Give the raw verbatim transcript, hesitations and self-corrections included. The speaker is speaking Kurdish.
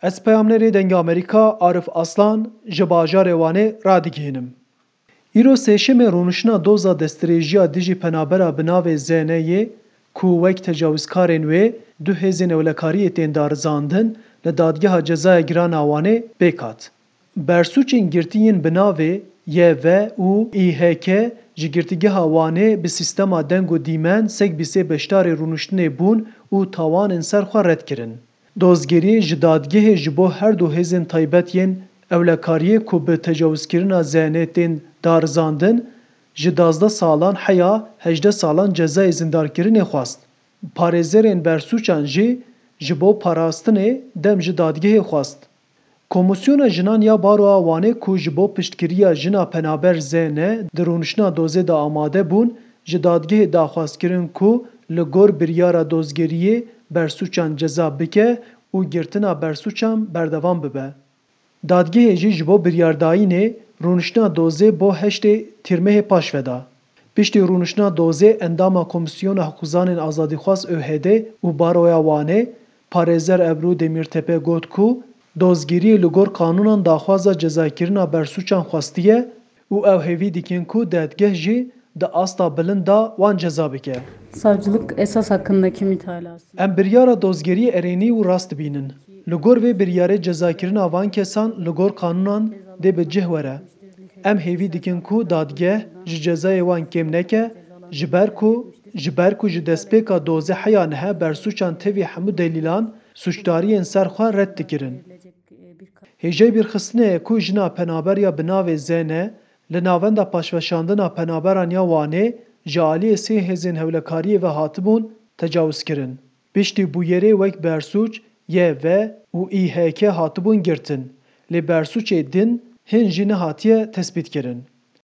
Ez peyamnerê Dengê Amerîka Arif Aslan ji bajarê Wanê radigihînim. Îro sêşemê rûniştina doza destdirêjiya dijî penabera bi navê Zêneyê ku wek tecawizkarên wê du hêzên ewlekariyê tên darizandin, li Dadgeha Cezaya Giran a Wanê pêk hat. Bersûcên girtî yên bi navê Y V û Î H K ji Girtîgeha Wanê bi sîstema deng û dîmen sek bîsê beşdarê rûniştinê bûn û tawanên ser xwe red kirin. Dozgeriyê ji dadgehê ji bo her du hêzên taybet yên ewlekariyê ku bi tecawizkirina Zênê tên darizandin, ji duwazdeh salan heya hejdeh salan cezayê zindarkirinê xwest. Parêzerên bersûcan jî ji bo parastinê dem ji dadgehê xwest. Komîsyona Jinan ya Baroya Wanê ku ji bo piştgiriya jina penaber Zênê di rûniştina dozê de amade bûn, ji dadgehê daxwaz kirin ku li gor biryara dozgeriyê bersûcan ceza bike û girtina bersûcan berdewam bibe. Dadgehê jî ji bo biryardayînê rûniştina dozê bo heştê Tîrmehê paşve da. Piştî rûniştina dozê endama Komîsyona Hiqûzanên Azadîxwaz ÖHD û Baroya Wanê, parêzer Ebru Demîrtepe got ku dozgeriyê li gor qanûnan daxwaza cezakirina bersûcan xwestiye û ew hêvî dikin ku dadgeh jî di asta bilind de wan ceza bike. Savcılık esas hakkındaki mütalası. Em biryara dozgeriyê erênî û rast dibînin. Li gor vê biryarê cezakirina van kesan li gor qanûnan dê bi cih were. Em hêvî dikin ku dadgeh ji cezayê wan kêm neke, ji ber ku, ji ber ku ji destpêka dozê heya niha bersûcan tevî hemû delîlan sûcdariyên ser xwe red dikirin. Hêjayî bîrxistinê ye ku jina penaber ya bi navê Zênê li Navenda Paşveşandina Penaberan ya Wanê ji aliyê sê hêzên hewlekariyê ve hatibûn tecawizkirin. Piştî bûyerê wek bersûc Y V û Î H K hatibûn girtin, lê bersûcê din hin jî nehatiye tespîtkirin.